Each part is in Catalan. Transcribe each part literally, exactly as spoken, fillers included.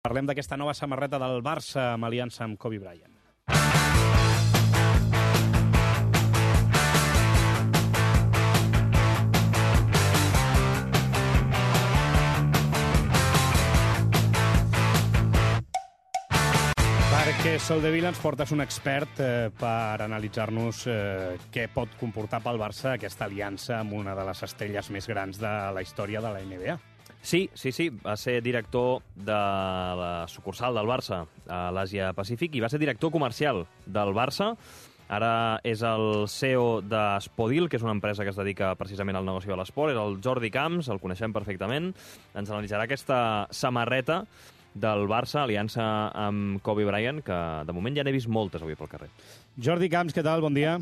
Parlem d'aquesta nova samarreta del Barça amb aliança amb Kobe Bryant. Perquè Soldevila ens portes un expert eh, per analitzar-nos eh, què pot comportar pel Barça aquesta aliança amb una de les estrelles més grans de la història de la N B A. Sí, sí, sí, va ser director de la sucursal del Barça a l'Àsia Pacífic i va ser director comercial del Barça. Ara és el C E O d'Spodil, que és una empresa que es dedica precisament al negoci de l'esport. És el Jordi Camps, el coneixem perfectament. Ens analitzarà aquesta samarreta del Barça, aliança amb Kobe Bryant, que de moment ja n'he vist moltes avui pel carrer. Jordi Camps, què tal? Bon dia.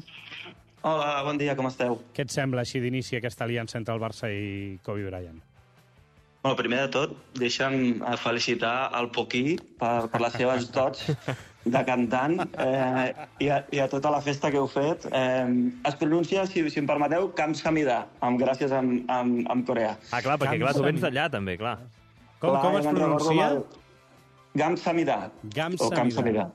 Hola, bon dia, com esteu? Què et sembla així d'inici aquesta aliança entre el Barça i Kobe Bryant? Bueno, primer de tot, deixa'm felicitar el Poquí per, per les seves dots de cantant eh, i, a, i a tota la festa que heu fet. Eh, es pronuncia, si, si em permeteu, Camps Hamida, amb gràcies amb, amb, amb Corea. Ah, clar, perquè clar, tu vens d'allà també, clar. Com, clar, com es pronuncia? Gams Hamida. Gams Hamida.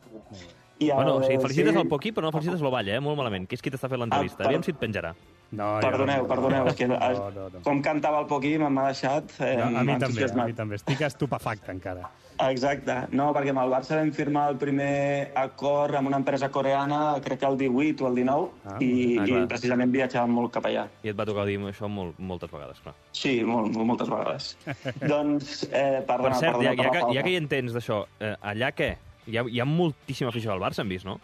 I el, bueno, o sigui, felicites sí. el Poquí, però no felicites l'Ovalla, eh? Molt malament, que és qui t'està fent l'entrevista. Ah, per... Aviam si et penjarà. No, perdoneu, no, perdoneu, és que no, no, no. com cantava el Poquí m'ha deixat eh, no, a mi també, a mi també. Estic estupefacte encara. Exacte. No, perquè amb el Barça vam firmar el primer acord amb una empresa coreana, crec que el divuit o el dinou, ah, i, ah, i precisament viatjàvem molt cap allà. I et va tocar dir això molt, moltes vegades, clar. Sí, molt, moltes vegades. Doncs, eh, perdona, per cert, perdona, ja, ja, que, ja que hi entens d'això, eh, allà què? Hi ha, hi ha moltíssima afició al Barça, hem vist, no?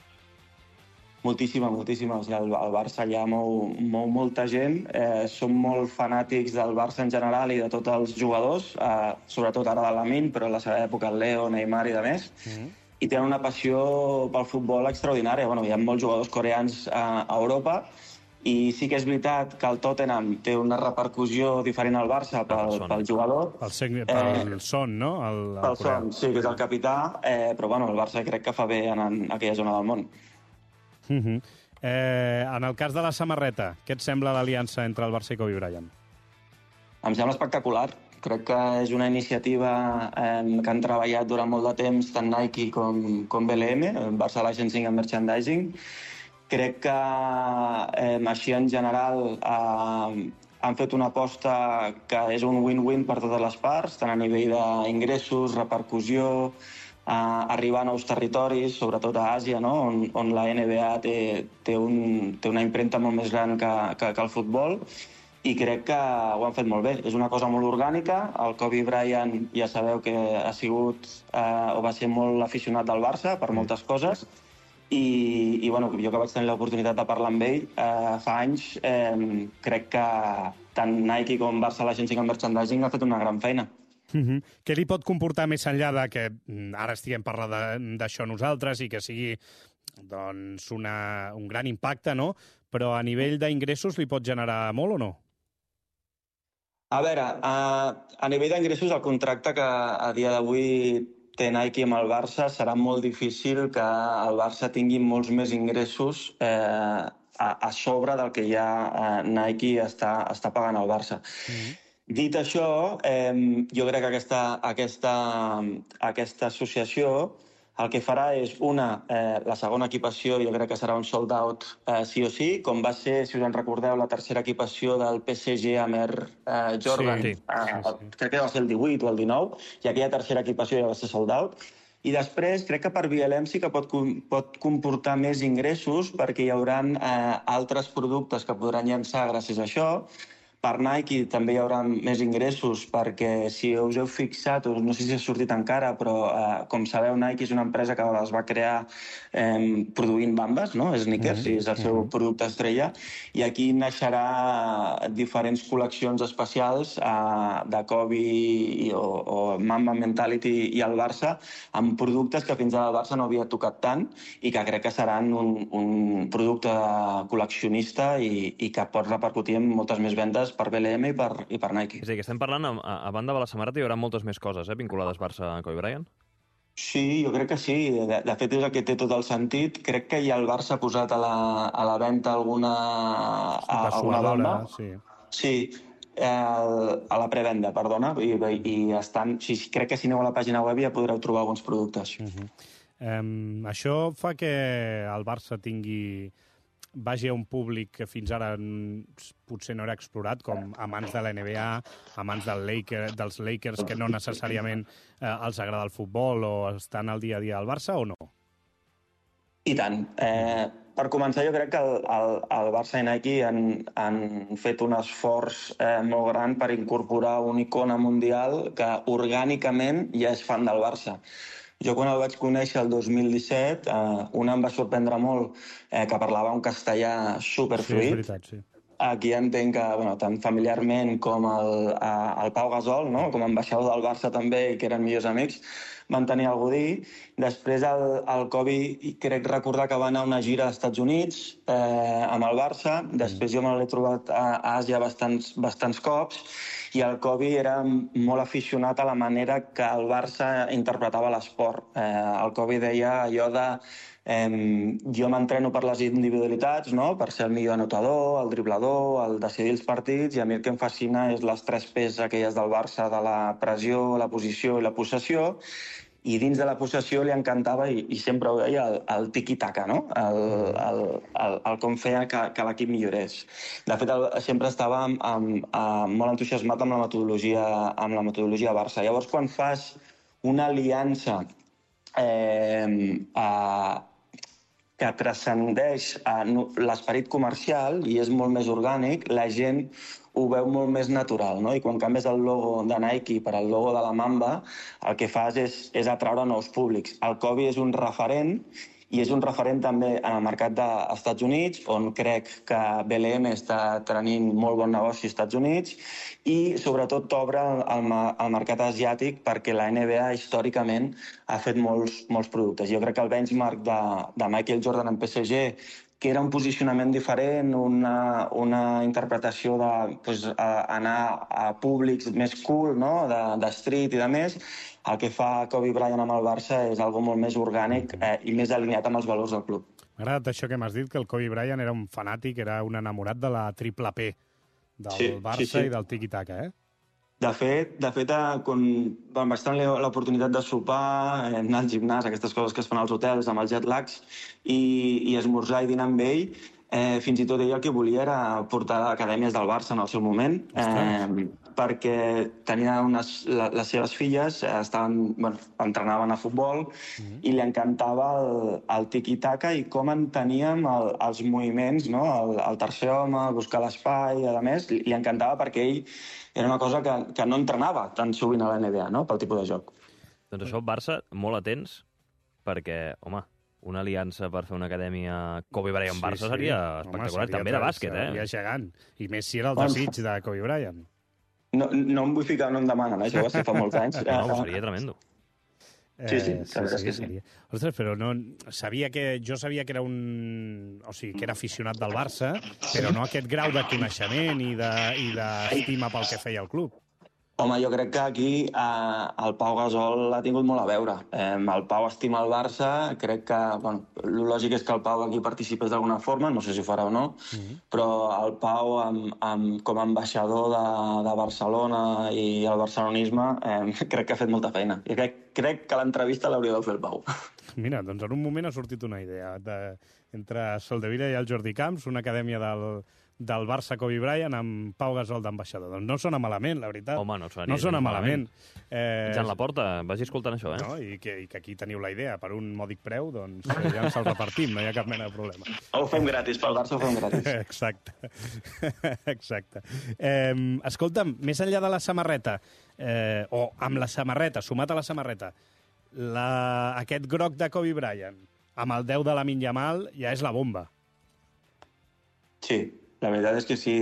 Moltíssima, moltíssima. O sigui, el, el Barça allà mou, mou molta gent. Eh, som molt fanàtics del Barça en general i de tots els jugadors, eh, sobretot ara de Lamine, però a la seva època el Leo, Neymar i de més. Mm-hmm. I tenen una passió pel futbol extraordinària. Bueno, hi ha molts jugadors coreans a, a Europa i sí que és veritat que el Tottenham té una repercussió diferent al Barça pel, pel jugador. Pel, seg... pel eh, Son, no? El, el pel Son, sí, que és el capità, eh, però bueno, el Barça crec que fa bé en, en aquella zona del món. Uh-huh. eh, en el cas de la samarreta, què et sembla l'aliança entre el Barça i Kobe Bryant? Em sembla espectacular. Crec que és una iniciativa eh, que han treballat durant molt de temps tant Nike com, com B L M, Barça Licensing and Merchandising. Crec que eh, així en general eh, han fet una aposta que és un win-win per totes les parts, tant a nivell d'ingressos, repercussió, a arribar a nous territoris, sobretot a Àsia, no? on, on la N B A té, té, un, té una impremta molt més gran que, que, que el futbol, i crec que ho han fet molt bé. És una cosa molt orgànica. El Kobe Bryant ja sabeu que ha sigut eh, o va ser molt aficionat del Barça per moltes coses, i, i bueno, jo que vaig tenir l'oportunitat de parlar amb ell eh, fa anys, eh, crec que tant Nike com Barça Licensing and Merchandising ha fet una gran feina. Uh-huh. Què li pot comportar més enllà de que ara estiguem parlant d'això nosaltres i que sigui doncs, una, un gran impacte, no? Però a nivell d'ingressos li pot generar molt o no? A veure, a, a nivell d'ingressos el contracte que a dia d'avui té Nike amb el Barça serà molt difícil que el Barça tingui molts més ingressos eh, a, a sobre del que ja eh, Nike està, està pagant al Barça. Uh-huh. Dit això, eh, jo crec que aquesta, aquesta, aquesta associació el que farà és, una, eh, la segona equipació jo crec que serà un sold out eh, sí o sí, com va ser, si us en recordeu, la tercera equipació del P S G amb Air eh, Jordan, sí, sí, eh, sí. crec que va ser el divuit o el dinou, i aquella tercera equipació ja va ser sold out. I després crec que per B L M sí que pot, pot comportar més ingressos perquè hi haurà eh, altres productes que podran llançar gràcies a això. Per Nike també hi haurà més ingressos perquè, si us heu fixat, no sé si ha sortit encara, però eh, com sabeu, Nike és una empresa que es va crear eh, produint bambes, no? Sneakers, mm-hmm. és el seu producte estrella, i aquí naixerà diferents col·leccions especials eh, de Kobe i, o, o Mamba Mentality i el Barça, amb productes que fins ara el Barça no havia tocat tant i que crec que seran un, un producte col·leccionista i, i que pot repercutir en moltes més vendes per B L M i per, i per Nike. És a dir, que estem parlant, a, a banda de la samarreta hi haurà moltes més coses, eh, vinculades Barça a Kobe Bryant? Sí, jo crec que sí. De, de fet, és el que té tot el sentit. Crec que ja el Barça ha posat a la, a la venta alguna, a, alguna bamba. Sí. Sí. eh, a la prevenda, perdona, i, i estan, si, crec que si aneu a la pàgina web ja podreu trobar alguns productes. Uh-huh. um, això fa que el Barça tingui vagi a un públic que fins ara potser no era explorat, com amants de la N B A, amants del Laker, dels Lakers, que no necessàriament eh, els agrada el futbol o estan al dia a dia al Barça, o no? I tant. Eh, per començar, jo crec que el, el, el Barça i Nike han, han fet un esforç eh, molt gran per incorporar una icona mundial que orgànicament ja és fan del Barça. Jo quan el vaig conèixer el dos mil disset, eh, una em va sorprendre molt eh, que parlava un castellà superfluid. Sí, és veritat, sí. Aquí entenc que, bueno, tant familiarment com el, el Pau Gasol, no? Com a ambaixador del Barça també, i que eren millors amics, van tenir alguna cosa a dir. Després el, el Kobe, crec recordar que va anar a una gira als Estats Units eh, amb el Barça. Després jo me l'he trobat a Àsia bastants, bastants cops, i el Kobe era molt aficionat a la manera que el Barça interpretava l'esport. Eh, el Kobe deia allò de eh, jo m'entreno per les individualitats, no? Per ser el millor anotador, el driblador, el decidir els partits, i a mi el que em fascina és les tres P's aquelles del Barça, de la pressió, la posició i la possessió. I dins de la possessió li encantava, i, i sempre ho deia, el, el tiki-taka, no? El, el, el, el com feia que, que l'equip millorés. De fet, el, sempre estava amb, amb, amb, molt entusiasmat amb la metodologia, amb la metodologia Barça. Llavors, quan fas una aliança eh, a, que transcendeix l'esperit comercial i és molt més orgànic, la gent ho veu molt més natural, no? I quan canvies el logo de Nike per el logo de la Mamba, el que fas és, és atraure nous públics. El Kobe és un referent, i és un referent també en el mercat dels Estats Units, on crec que B L M està tenint molt bon negoci als Estats Units, i sobretot t'obre el, el mercat asiàtic, perquè la N B A històricament ha fet molts, molts productes. Jo crec que el benchmark de, de Michael Jordan en P S G, que era un posicionament diferent, una, una interpretació de pues, anar a públics més cool, no? de, de street i de més, el que fa Kobe Bryant amb el Barça és algo molt més orgànic eh, i més alineat amb els valors del club. M'ha agradat això que m'has dit, que el Kobe Bryant era un fanàtic, era un enamorat de la triple P del sí, Barça sí, sí. i del tiki-taka, eh? De fet, de fet quan vaig tenir l'oportunitat de sopar, anar al gimnàs, aquestes coses que es fan als hotels amb els jet lags, i, i esmorzar i dinar amb ell, eh, fins i tot ell el que volia era portar acadèmies del Barça en el seu moment, eh, perquè tenia unes, la, les seves filles estaven, bueno, entrenaven a futbol, mm-hmm. i li encantava el, el tiki-taka i com enteníem el, els moviments, no? el, el tercer home, buscar l'espai, a més, li encantava perquè ell era una cosa que, que no entrenava tan sovint a la N B A, no? Pel tipus de joc. Doncs això, Barça, molt atents, perquè, home, una aliança per fer una acadèmia Kobe Bryant-Barça sí, sí. seria espectacular, home, seria també de bàsquet, eh? Seria gegant. I més si era el desig de Kobe Bryant. No, no em vull ficar, no em demanen, eh? Això va ser fa molts anys. No, no, seria tremendo. Sí, sí, eh, sí, sí, que sí. Ostres, però no, sabia que, jo sabia que era un... O sigui, que era aficionat del Barça, però no aquest grau de coneixement i d'estima de, pel que feia el club. Home, jo crec que aquí eh, el Pau Gasol ha tingut molt a veure. Eh, el Pau estima el Barça, crec que... Bueno, el lògic és que el Pau aquí participés d'alguna forma, no sé si ho farà o no, mm-hmm. però el Pau, amb, amb, com a ambaixador de, de Barcelona i el barcelonisme, eh, crec que ha fet molta feina. I crec, crec que l'entrevista l'hauria de fer el Pau. Mira, doncs en un moment ha sortit una idea. De, entre Soldevila i el Jordi Camps, una acadèmia del... del Barça Kobe Bryant amb Pau Gasol d'ambaixador. Doncs no sona malament, la veritat. Home, no sona, no sona malament. malament. Eh... Jan Laporta, vagi escoltant això, eh? No? I, que, I que aquí teniu la idea, per un mòdic preu, doncs ja ens el repartim, no hi ha cap mena de problema. Ho fem gratis, pel Barça ho fem gratis. Exacte. Exacte. Eh, escolta'm, més enllà de la samarreta, eh, o amb la samarreta, sumat a la samarreta, la, aquest groc de Kobe Bryant, amb el deu de Lamine Yamal, ja és la bomba. Sí, la veritat és que sí.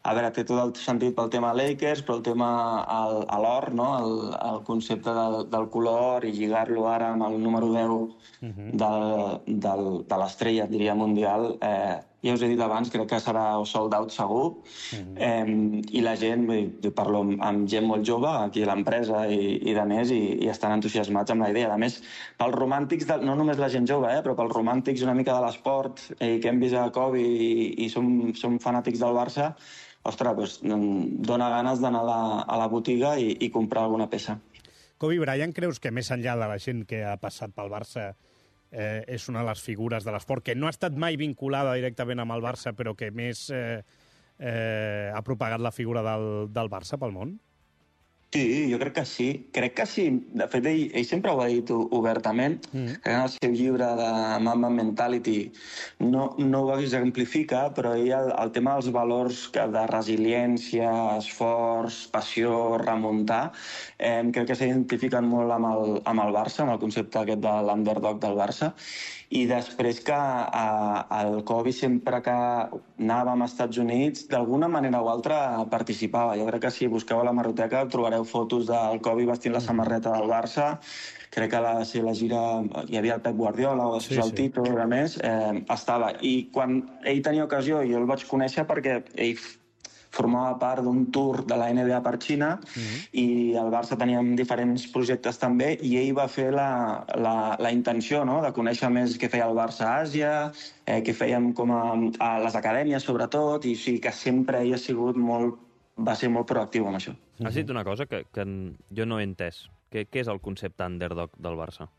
A veure, té tot el sentit pel tema Lakers, però el tema al, a l'or, no? el, el concepte del, del color i lligar-lo ara amb el número deu uh-huh. del, del, de l'estrella, diria, mundial, eh, ja us he dit abans, crec que serà sold out segur. Uh-huh. Eh, I la gent, jo parlo amb gent molt jove, aquí a l'empresa i, i de més, i, i estan entusiasmats amb la idea. A més, pels romàntics, de, no només la gent jove, eh, però pels romàntics una mica de l'esport, i que hem vist a Kobe i, i som, som fanàtics del Barça, ostres, doncs, dona ganes d'anar a la, a la botiga i, i comprar alguna peça. Kobe Bryant, creus que més enllà de la gent que ha passat pel Barça eh, és una de les figures de l'esport, que no ha estat mai vinculada directament amb el Barça, però que més eh, eh, ha propagat la figura del, del Barça pel món? Sí, jo crec que sí. Crec que sí. De fet, ell, ell sempre ho ha dit obertament. Mm. En el seu llibre de Mamba Mentality no, no ho exemplifica, però ell el, el tema dels valors de resiliència, esforç, passió, remuntar, eh, crec que s'identifiquen molt amb el, amb el Barça, amb el concepte aquest de l'underdog del Barça. I després que a, el Kobe, sempre que anàvem als Estats Units, d'alguna manera o altra participava. Jo crec que si busqueu a la hemeroteca trobareu fotos del Kobe vestint la samarreta del Barça. Crec que la, si la gira hi havia el Pep Guardiola o sí, el sí. Tito, a més, eh, estava. I quan ell tenia ocasió, jo el vaig conèixer perquè ell formava part d'un tour de la N B A per Xina mm-hmm. i el Barça teníem diferents projectes també i ell va fer la, la, la intenció, no?, de conèixer més què feia el Barça a Àsia, eh, què fèiem com a, a les acadèmies sobretot, i sí que sempre ell ha sigut molt, va ser molt proactiu amb això. Mm-hmm. Has dit una cosa que, que jo no he entès. Què, què és el concepte underdog del Barça?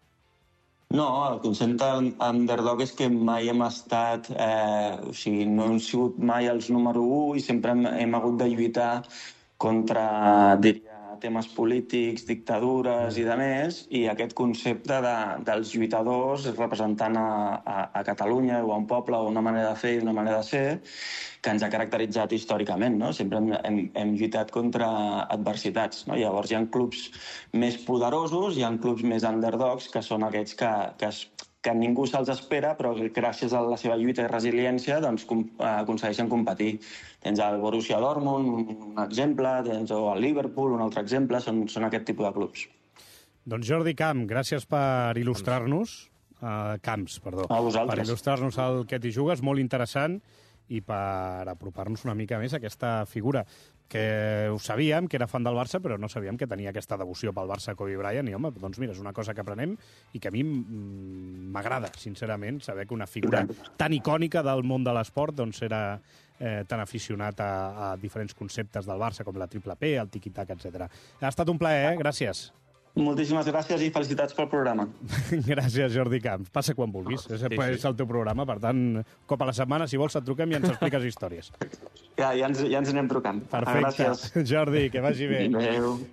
No, el concepte underdog és que mai hem estat... Eh, o sigui, no hem sigut mai els número u i sempre hem, hem hagut de lluitar contra, diria, temes polítics, dictadures i de més, i aquest concepte de, dels lluitadors representant a, a, a Catalunya o a un poble o una manera de fer i una manera de ser que ens ha caracteritzat històricament, no? Sempre hem, hem, hem lluitat contra adversitats, no? Llavors hi ha clubs més poderosos, hi ha clubs més underdogs, que són aquests que, que, es, que ningú se'ls espera, però que gràcies a la seva lluita i resiliència doncs, com, eh, aconsegueixen competir. Tens el Borussia Dortmund, un exemple, tens o el Liverpool, un altre exemple, són, són aquest tipus de clubs. Doncs Jordi Camp, gràcies per il·lustrar-nos, uh, Camps, perdó, a vosaltres. Per il·lustrar-nos el que t'hi jugues, molt interessant, i per apropar-nos una mica més a aquesta figura que ho sabíem, que era fan del Barça, però no sabíem que tenia aquesta devoció pel Barça Kobe Bryant, i home, doncs mira, és una cosa que aprenem i que a mi m'agrada, sincerament, saber que una figura tan icònica del món de l'esport doncs era eh, tan aficionat a, a diferents conceptes del Barça, com la triple P, el tiki-tac, etcètera. Ha estat un plaer, eh? Gràcies. Moltíssimes gràcies i felicitats pel programa. Gràcies, Jordi Camps. Passa quan vulguis. És, sí, sí. és el teu programa, per tant, un cop a la setmana, si vols, et truquem i ens expliques històries. Ja, ja, ens, ja ens anem trucant. Perfecte. Gràcies. Jordi, que vagi bé. Adéu.